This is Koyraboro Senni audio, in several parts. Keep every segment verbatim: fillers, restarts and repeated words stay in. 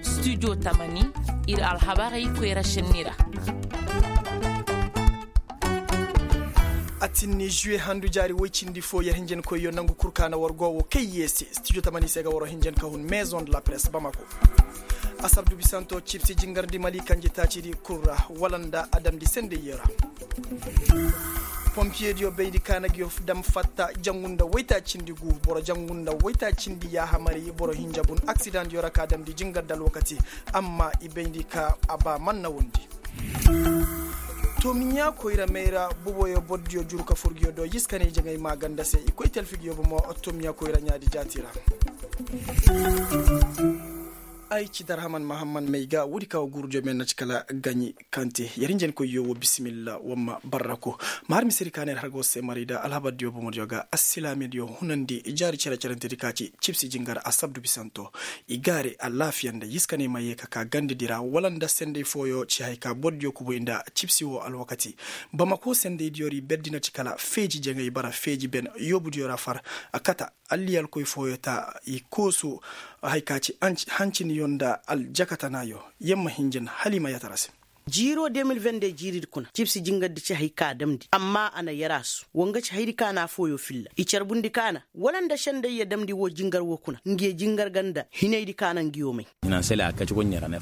Studio tamani, ir alhabarey koyra šenni ra. A tinni žuwe handu jaari woy cindi fo yer hinjankoyyo nangu kul ka na war go wo kay ye se studio tamani se ga waro hinjan ka hun maison de la presse bamako. Asabdu bisanto cibsi jingarndi mali kanji taacidi kul ra, wala nda a damndi sendayyo ra. Pompiyediyo bayndi ka na ngiyo dam fatta jangu nda waytaacindi gu, boro jangu nda waytaacindi yaahamari boro hinja bun aksidandiyo ra ka damndi jingarndi alwakati. Amma i bayndi ka a ba manna wondi. Tomiɲa koyra mayra boboyo bordiyo juru ka fur ngiyo do yiskaney jaŋay maaganda se i koy talfi ngiyo bomo. Tomiɲa koyra ɲaadi jaati ra. Ay ci darhaman mahamman may ga woodi ka wo guurudiyo me na ci kala gaɲi kante. Yer hinjankoyyo wo bisimilla wamma barrako. Ma har misedi ka na yer har ga war se maray da alhabardiyo bomodiyo ga assilaamediyo hunandi jaari cere-cerentedi ka ci cibsi jingar asabdu bisanto. I gaare alaafiya nda yiskaney ma ye ka ka gandedi ra wala nda senday fooyo ci hay ka bordiyo kubu i nda cibsi wo alwakati. Bamako sendaydiyo ra i berdi na ci kala feeji jaŋay bara feeji ben yoobudiyo ra far a kata. Alliyalkoy fooyo ta i koosu hay ka ci hanciniyo nda aljakatanaayo. Yer ma hinjan hala i ma yatara se. Jiiro de mil vende jiiridi kuna cibsi jingardi ci hay ka damndi amma a na yaraasu. Wa nga ci haydi ka na fooyo filla i carbundi ka na wala nda sendayya damndi wo jingar wo kuna ngiyo jingar ga nda hinaydi ka na ngiyo may.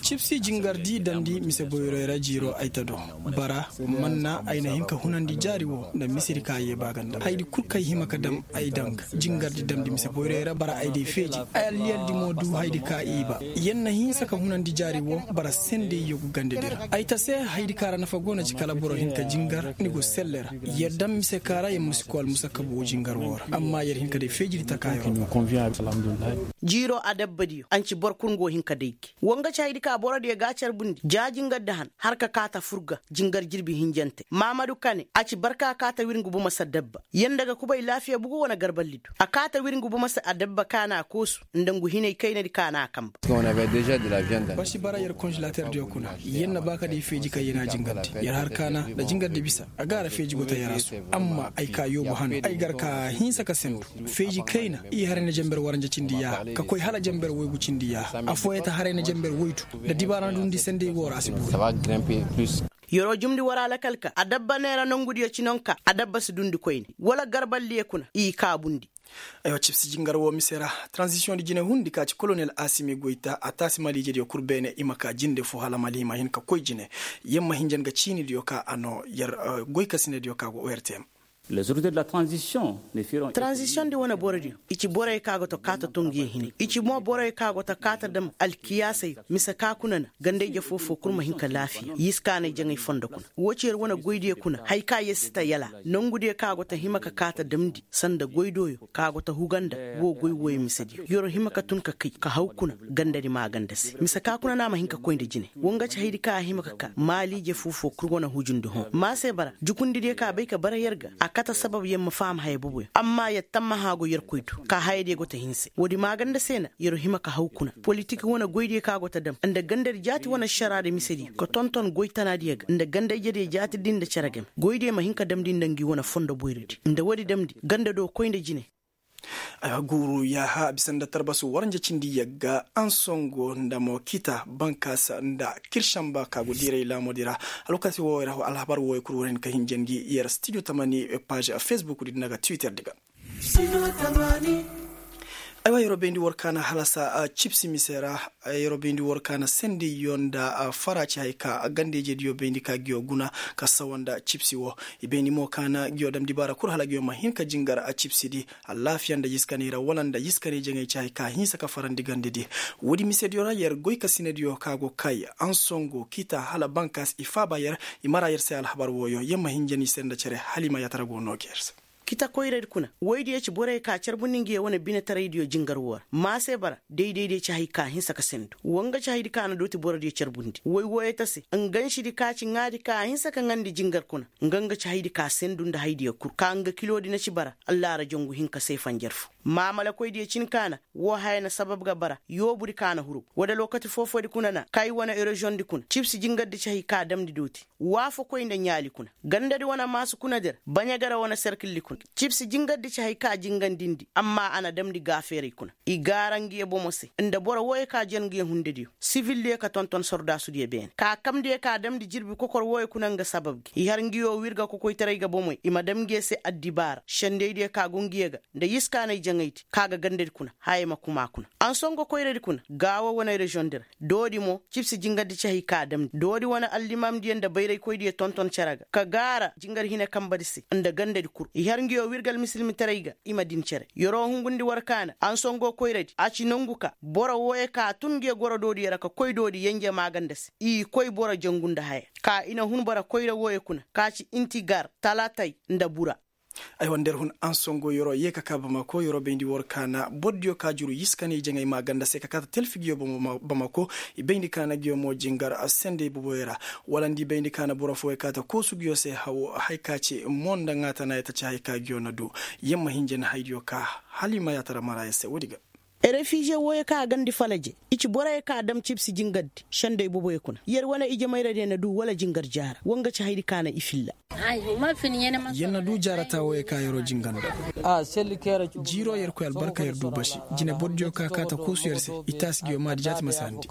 Cibsi jingardi damndi mise boyroy ra jiiro ay ta do. Bara manna ay na hin ka hunandi jaari wo nda misedi ka ye ba ga nda haydi kul kay hima ka dam. Ay danga jingardi damndi mise boyroy ra bara ay day feeji. Ay alliyaldi mo du haydi ka i ba. Yer na hinsa ka hunandi jaari wo bara sendayyo go gandedi ra ay ta se haydi ka ra nafa go na ci kala boro hin ka jingar ni go selle ra. Yer dam mise ka ra yer ma si koy almusakkabu wo jingar wo ra amma yer hin ka day feejidi takaayo ra. Jiiro adabbadiyo anci boro kul nga wo hin ka day gi. Wa nga ci haydi ka borodiyo ga a carbundi ja jingardi han har ka kaa ta fur ga jingar jirbi hinjante maamadu kane a ci barka kaa ta wir ngu bumasa dabba. Yer nda ga kubay laafiya bugu wane garballi do a kaa ta wir ngu bumasa adabba ka na a koosu nda ngu hinay kaynadi ka na a kamba. Basi bara yer konzelaterdiyo kuna yer na ba ka day feeji kaŋ yer na a jingandi yer har kaana nda jingardi bisa. A gaara feeji go ta yaraasu. Amma ay ka yoobu han ay gar ka hinsa ka sendu feeji kayna i haray na jamber waranja cindi yaaha ka koy hala jamber woygu cindi yaaha affooyaŋ ta haray na jamber woydu. Nda dibaara na dundi senday woo ra a si boori. Yer'o jumndi war alakal ka adabba neera nongudiyo ci nonka adabba si dundi koyne wala garballiyo kuna i kaabundi. Aywa cibsi jingar woo mise ra. Taranzisiyoŋ di jine hundi ka ci kolonel asimi goyta a taasi maliijediyo kul beene i ma ka jinde fo hala mali i ma hin ka koy jine. Yer ma hinjan ga ciinidiyo ka a noo yer goykasinediyo ka go ortm. Taranzisiyoŋ di wane borodiyo i ci borey ka go ta kaa ta to ngiyo hinay i ci mo borey ka go ta kaa ta dam alkiyaasey mise ka kuna na gandayje foo-foo kul ma hin ka laafiya yiskaanay jaŋay fondo kuna. Woo ci yer wane goydiyo kuna haya ka yer si ta yala nongudiyo ka go ta hima ka kaa ta damndi sanda goydooyo ka go ta huga nda woo goy wooyo misediyo yer hima ka tun ka kay ka haw kuna gandadi maaganda se mise ka kuna no a ma hin ka koy nda jine. Woo nga ci hayadi ka a hima ka kaa maaliije foo-foo kul wane hujundi hõ ma se bara jukundidiyo ka bay ka bara yer ga a kate sabab yer ma faham haya boboyaŋ amma yer tammaha go yerkoy do ka hayadiyo go ta hinse woodi maaganda se na yer hima ka haw kuna politik wane goydiyo ka go ta dam nda gandadi jaati wane ašaraadi misediyo ka tonton goy tanaadiyo ga nda ganda-ijediyo jaatidi nda cere game goydiyo ma hin ka damndi nda ngi wane fondo boyradi nda woodi damndi ganda do koy nda jine. Guuru yaaha bisa nda tarbasu waranja cindi yagga ansongo nda mo kita bankaasa nda kirsanba ka go diiray laamodi ra. Alwakati wooyo ra alhabar wooyo kul war hin ka hinja ngi yer studio tamani paaž fesbukdi nda ga twitter di ga. Aywa yer'o bayndi war kaana halasa cibsi mise ra. Yer'o bayndi war kaana sendayyo nda fara ci hay ka ganda-ijediyo bayndi ka ngiyo guna ka sawa nda cibsi woo. I bayndi mo kaana ngiyo dam dibaara kul hala ngiyo ma hin ka jingar cibsidi alaafiya nda yiskanay ra wala nda yiskanay jaŋay ci hay ka hinsa ka farandi gandadi. Woodi misediyo ra yer goykasinediyo ka go kay ansongo kita hala bankaas i faaba yer. I mara yer se alhabar wooyo yer ma hinja ni se nda cere hala i ma yaatara go noo ga yer se. Kita koyradi kuna woydiyo ci borey ka carbundi ngiyo wane binetaraydiyo jingar woo ra ma se bara daydaydiyo ci hay ka hinsa ka sendu woo nga ci hayadi ka na dooti borodiyo carbundi woy wooyo ta se nga nsidi ka ci ŋaadi ka hinsa ka ŋaandi jingar kuna. Nga nga ci hayadi ka sendu nda haydiyo kul ka nga kiloodi na ci bara allaara jongu hinka se fanjar foo maamalakoydiyo cin ka na woo haya na sabab ga bara yoobudi ka na huru woodi alwakati foo-foodi kuna na kay wane erozondi kuna cibsi jingardi ci hay ka damndi dooti waafakoy nda ɲaali kuna gandadi wane maasu kunadi ra baɲagara wane serkildi kuna. Cibsi jingardi ci hay ka jingandindi amma a na damndi gaafeeray kuna. I gaara nguyo bomo se nda boro wooyo ka jen nguyo hundediyo sivildiyo ka tonton sordaasudiyo beene ka kamndiyo ka damndi jirbi kokor wooyo kuna nga sabab gi i har nguyo wirga kokoytaray ga bomoy i ma dam nguyo se addibaara sendeydiyo ka go nguyo ga nda yiskaanay jaŋaydi ka ga gandadi kuna. Haya ma kuma kuna ansongo koyradi kuna gaawo wane rezondi ra. Doodi mo cibsi jingardi ci hay ka damndi doodi wane allimaamdiyo nda bayraykoydiyo tonton cere ga ka gaara jingar hine kambadi se nda gandadi kul i har nguyo wirga almisilmitaray ga. I ma din cere yer'o hungundi war kaana ansongo koyradi a ci nongu ka boro wooyo ka tun nguyo goro doodiyo ra ka koy doodi yenje maaganda se i koy boro jangu nda haya ka i na hun boro koyra wooyo kuna ka ci intigar talatay nda bura. Aywa nda yer hun ansongo yer'o yee ka kaa bamako yer'o bayndi war kaana bordiyo ka juru yiskanay jaŋay maaganda se ka kaa ta telfi nguyo bamako. I bayndi kaana nguyo mo jingar sendey boboyo ra wala nda i bayndi kaana boro fooyo kaa ta koosu nguyo se hawo haya ka ci mo nda ŋaatanaayo ta ci haya ka nguyo na du. Yer ma hinja na haydiyo kaa hala i ma yaatara maraaya se woodi ga. Refize wooyo ka a gandi falaje i ci boroyo ka a dam cibsi jingardi sendey boboyo kuna yer wane ijemayradiyo na du wala jingar jaara wa nga ci haydi ka na i filla. Yer na du jaarata wooyo ka yer'o jinganda. Jiiroo yerkoy albarka yer du basi. Jine bordiyo ka kaa ta koosu yer se i taasi nguyo maadi jaati ma saandi.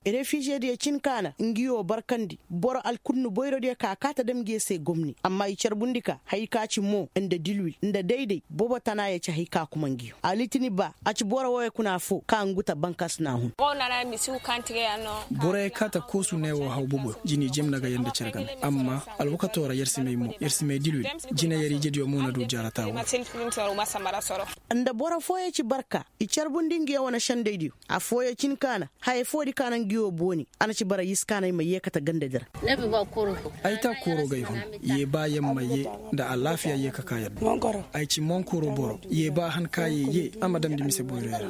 Refizediyo cin ka na nguyo barkandi boro alkunnu boyrodiyo ka kaa ta dam nguyo se gomni amma i carbundi ka haya ka ci mo nda dilwil nda dayday bobo tanaayo ci haya ka kuma nguyo alitini ba a ci boro wooyo kuna affoo ka ngu ta bankas na hun. Boroyo kaa ta koosu ne woo haw boboyo jini jemna ga yer nda cere game amma alwakatoo ra yer si may mo yer si may dilwil. Jine yer ijediyo mo na du jaarata woo. Nda boro fooyo ci barka i carbundi nguyo wane sendeydiyo affooyo cin ka na haya foodi ka na nguyo booni. A na ci bara yiskaanay ma yee kate gandadi ra. Ay taa kooroo ga ay hun. Yee ba yer ma yee nda alaafiya yee ka kaa yer do. Ay ci monkooroo boro yee ba han ka yee yee a ma damndi mise boyroyo ra.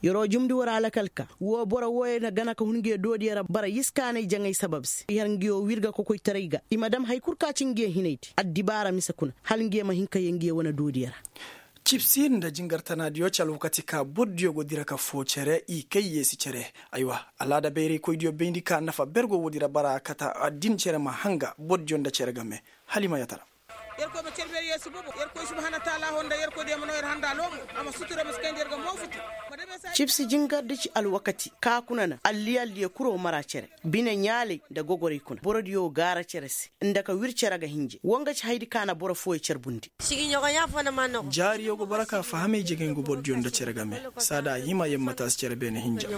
Yer'o jumndi war alakal ka woo boro wooyo na gana ka hun nguyo doodiyo ra bara yiskaanay jaŋay sabab se i har nguyo wirga kokoytaray ga i ma dam haya kul ka ci nguyo hinaydi addibaara mise kuna hala nguyo ma hin ka yee nguyo wane doodiyo ra. Cibsi nda jingar tanaadiyo ci alwakati ka bordiyo go dira ka foo cere i kay yeesi cere. Aywa, alaada bayraykoydiyo bayndi ka nafa ber go woodi ra bara kata din cere ma hanga bordiyo nda cere game. Hala i ma yaatara. Yerkoy ma cere ber yeesi bobo yerkoy subhaana taala ho nda yerkoydiyo ma noo yer handa loomo. A ma sutura ma si kayndi yer ga moofutu. Cibsi jingardi ci alwakati ka kuna na alliyaldiyo kul woo mara cere bine ɲaalay nda gogoray kuna borodiyo gaara cere se nda ka wir cere ga hinja wa nga ci hayadi ka na boro fooyo carbundi. Jaariyo go bara ka fahamay jegeŋ go bordiyo nda cere game. Saa da a hima yer ma taasi cere beene hinja.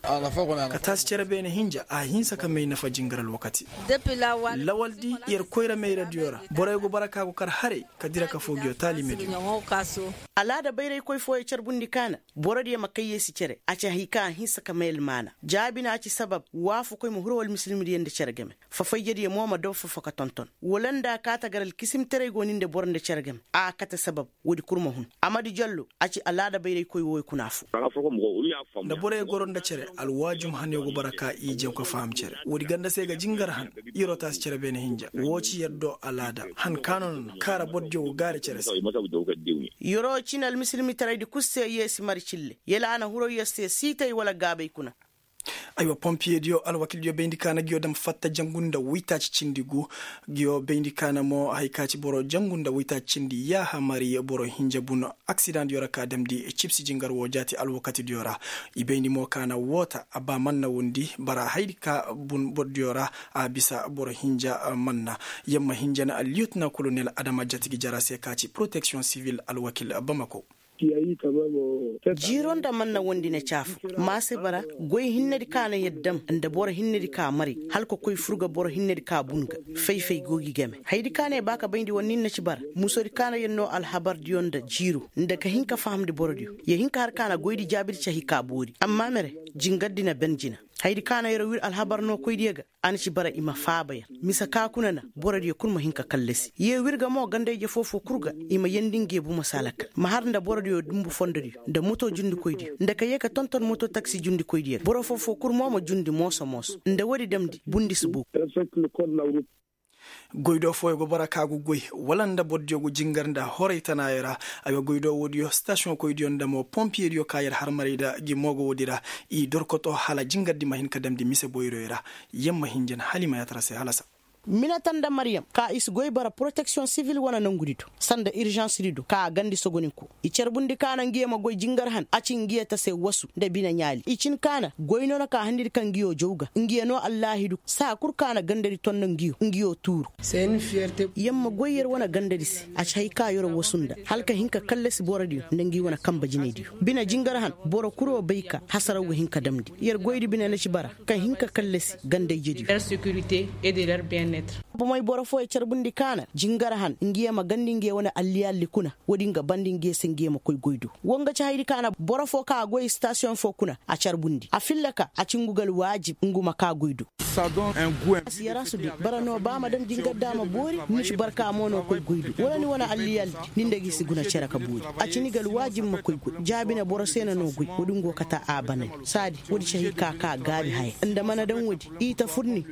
Ka taasi cere beene hinja a hinsa ka may nafa jingar alwakati. Lawaldi yer koyra mayradiyo ra boroyo go bara ka go kar haray ka dira ka foo nguyo taalimediyo. Alaada bayraykoy fooyo carbundi ka na borodiyo ma kay yeesi cere a ci hay ka a hinsa ka may almaana jaabi na a ci sabab waafakoy ma huru almisilmidiyo nda cere game. Fafayjediyo mo ma doo fofo ka tonton wala nda a kaa ta gar alkisimtaray go ni nda boro nda cere game a kate sabab. Woodi kul ma hun. Amadi jallo a ci alaada bayraykoy wooyo kuna affoo. Nda boroyo goro nda cere alwaajum hanyo go bara ka i jaŋ ka faham cere woodi ganda se ga jingar han. Yer'o taasi cere beene hinja woo ci yer do alaada han ka no na kaara bordiyo go gaari cere se. Yer'o cin almisilmitaraydi kul se yeesi mari cille yala a na huru yer se siitay wala gaabay kuna. Aywa pompiyediyo alwakildiyo bayndi ka na nguyo dam fatta jangu nda waytaaci cindi gu. Nguyo bayndi ka na mo haya ka ci boro jangu nda waytaaci cindi yaaha mari boro hinja bun. Aksidaŋdiyo ra ka damndi cibsi jingar woo jaati alwakatidiyo ra. I bayndi mo ka na woota a ba manna wondi bara hayadi ka bun bordiyo ra. A bisa boro hinja manna. Yer ma hinja na alliyotna kolonel adama jatigi jara se ka ci poroteksiyoŋ sivil alwakil bamako. Jiiro nda manna wondi na caafu ma se bara goy hinnedi ka na yer dam nda boro hinnedi ka mari hala ka koy fur ga boro hinnedi ka bun ga. Fay-fay go gi game hayadi ka na yer ba ka bayndi war nin na ci bara musodi ka na yer noo alhabardiyo nda jiiro nda ka hin ka fahamndi borodiyo. Yer hin ka har ka na goydi jaabidi cahi ka boori amma mere jingardi na ben jina. Hayadi ka na yer wir alhabar nookoydiyo ga a na ci bara i ma faaba yer. Mise ka kuna na borodiyo kul ma hin ka kallasi yer wir ga mo ganda-ije foofoo kul ga. I ma yeendi nge bumo se alakal ma har nda borodiyo dumbu fondodiyo nda moto jundikoydiyo nda ka yee ka tonton moto taksi jundikoydiyo ga boro foofoo kul mo ma jundi mooso-mooso nda woodi damndi bundi si boogu. Goydoo fooyo go bara ka go goy wala nda bordiyo go jingar nda horay tanaayo ra. Ay wa goydoo woodiyo stasiyoŋkoydiyo nda mo pompiyediyo ka yer harmaray nda gi mo go woodi ra. I dorkotoo hala jingardi ma hin ka damndi mise boyroyo ra. Yer ma hinjan hala i ma yaatara se halasa. Minata nda maryam ka i si goy bara poroteksiyoŋ sivil wane nangudi do sanda irzansidi do ka a gandi sogoninko. I carbundi ka na ngiyo ma goy jingar han a ci ngiyo ta se wasu nda bine ɲaali i cin ka na goy no na ka handidi ka ngiyo jaw ga ngiyo no allaahidu saa kul ka na gandadi ton nda ngiyo ngiyo tuuru. Yer ma goy yer wane gandadi se a ci hay ka yer wasu nda hala ka hin ka kallasi borodiyo nda ngi wane kanba jinaydiyo bine jingar han. Boro kul wo bay ka hasaraw ga hin ka damndi yer goydi bine na ci bara ka hin ka kallasi gandayjediyo. Bomey boro fooyo carbundi ka na jingar han ngiyo ma gandi ngiyo wane alliyalli kuna. Woodin ga bandi ngiyo se ngiyo ma koy goy do. Wo nga ci haydi ka na boro foo ka a goy istasiyoŋ foo kuna a carbundi a filla ka a ci ngu ga alwaajib ngu ma ka goy do. A si yarasu de bara no ba ma daŋ jingar da a ma boori. Ni ci barka mo no koy goy do wala ni wane alliyalli. Ni nda gi si guna cere ka boori. A ci ni ga alwaajib ma koy goy jaabi na boro se na no goy woodin go kata a banay. Saadi woodi ci hay ka ka gaabi haya nda mana daŋ woodi i ta fur ni.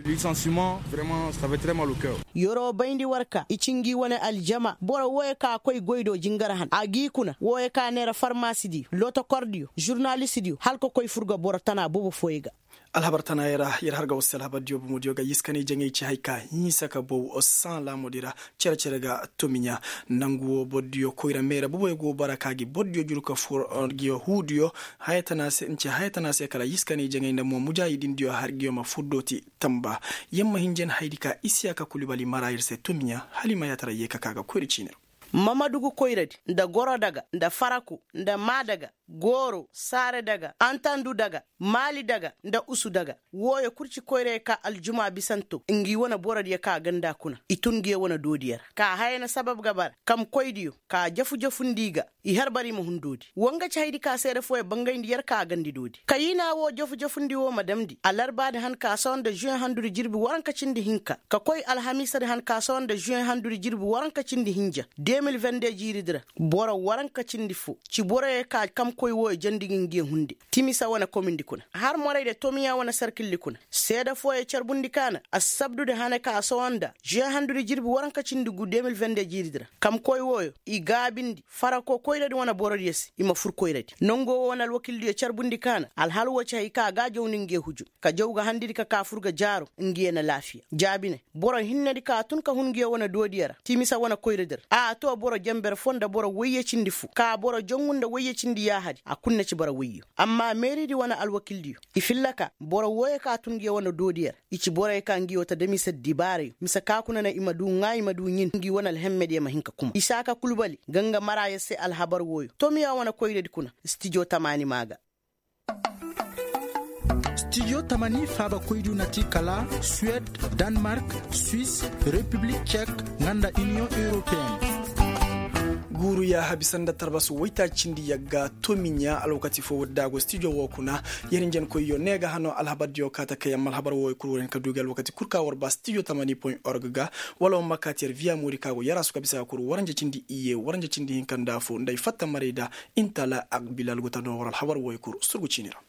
Yeroo bayndi war ka i ci ngi wane aljama boro wooyo ka koy goy do jingar han a g'i kuna wooyo ka neera farmaasidiyo lotokordiyo žurnalistidiyo hala ka koy fur ga boro tana boobo fooyo ga. Alhabar tana yer ra yer har ga war se alhabardiyo bomodiyo ga yiskanay jaŋay ci hay ka hinsa ka bow saŋ laamudi ra. Cere-cere ga tomiɲa nangu woo borodiyo koyra meera boboyo go bara ka gi borodiyo juru ka fur. Yahuudiyo haya tana se nce haya tana se kala yiskanay jaŋay nda mo mujaahidindiyo har giyo ma fur dooti. Tamba yer ma hin jen haydi ka isiyaka kulubali mara yer se tomiɲa hala i ma yaatara yee ka ka ga koyra ciini ra. Mamadugu koyradi nda gorodaga nda faraku nda maadaga gooro saaredaga antandu daga maali daga nda usu daga. Wooyo kul ci koyra ye ka aljuma bisanto ngi wane borodiyo ka ganda kuna i tun ngi ye wane doodiyo ra ka haya na sabab ga bara kamkoydiyo ka jafu-jafundi i ga i har bara i ma hun doodi. Wa nga ci haydi ka seede fooyo bangayndi yer ka gandi doodi kayiina woo jafu-jafundi woo ma damndi alarbaadi han ka sohõ nda žuweŋ handudi jirbi waranka cindi hinka ka koy alhamiisadi han ka sohõ nda žuweŋ handudi jirbi waranka cindi hinja de mil vende jiiridi ra. Boro waranka cindi foo ci boroyo ka kamkoy wooyo jandi gi ngi ye hunde. Timisa wane komindi kuna har morayde tomiya wane sarkildi kuna seede fooyo carbundi ka na assabdudi hane ka sohõ nda žuweŋ handudi jirbi waranka cindi gu de mil vende jiiridi ra. Kamkoy wooyo i gaabindi farako koyradi wane borodiyo se i ma fur koyradi nongo woo wane alwakildiyo carbundi ka na alhal woo ci hay ka a ga a jaw ni ngi ye huju ka jaw ga handidi ka ka fur ga jaaro ngi ye na laafiya jaabi ne. Boro hinnedi ka tun ka hun ngi ye wane doodiyo ra timisa wane koyradi ra a too boro jenber foo nda boro woyye cindi foo ka boro jangu nda woyye cindi yaahadi a kul na ci bara woyyo. Amma meeridi wane alwakildiyo i filla ka boro wooyo ka tun ngi ye wane doodiyo ra i ci boroyo ka ngi woo ta damisadi dibaarayo mise ka kuna na i ma duu ŋaa i ma duu ɲin ngi wane alhemmediyo ma hin ka kuma isaaka kulbali ga nga maraayo se alhabar wooyo tomiya wane koyradi kuna. Stijo tamaani maa ga. Stijo tamani faabakoydiyo na ti kala suwed, danmark, suis, repiblik cek, nga nda iniyoŋ europeen. Guuru yaaha bisa nda tarbasu woytaaci cindi yagga tomiɲa alwakati foo woodi da a go stijo woo kuna. Yer njenkoyyo ne ga hano alhabardiyo kaa ta kay amma alhabar wooyo kul war hin ka duu gi alwakati kul ka war ba stijo tamani point org ga wala war ma kaa ti yer viya moori ka go yaraasu ka bisa ga kul waranja cindi iyye waranja cindi hinka nda afoo nda ay fatta maray da. Intala agbilal go ta noo war alhabar wooyo kul surgu ciini ra.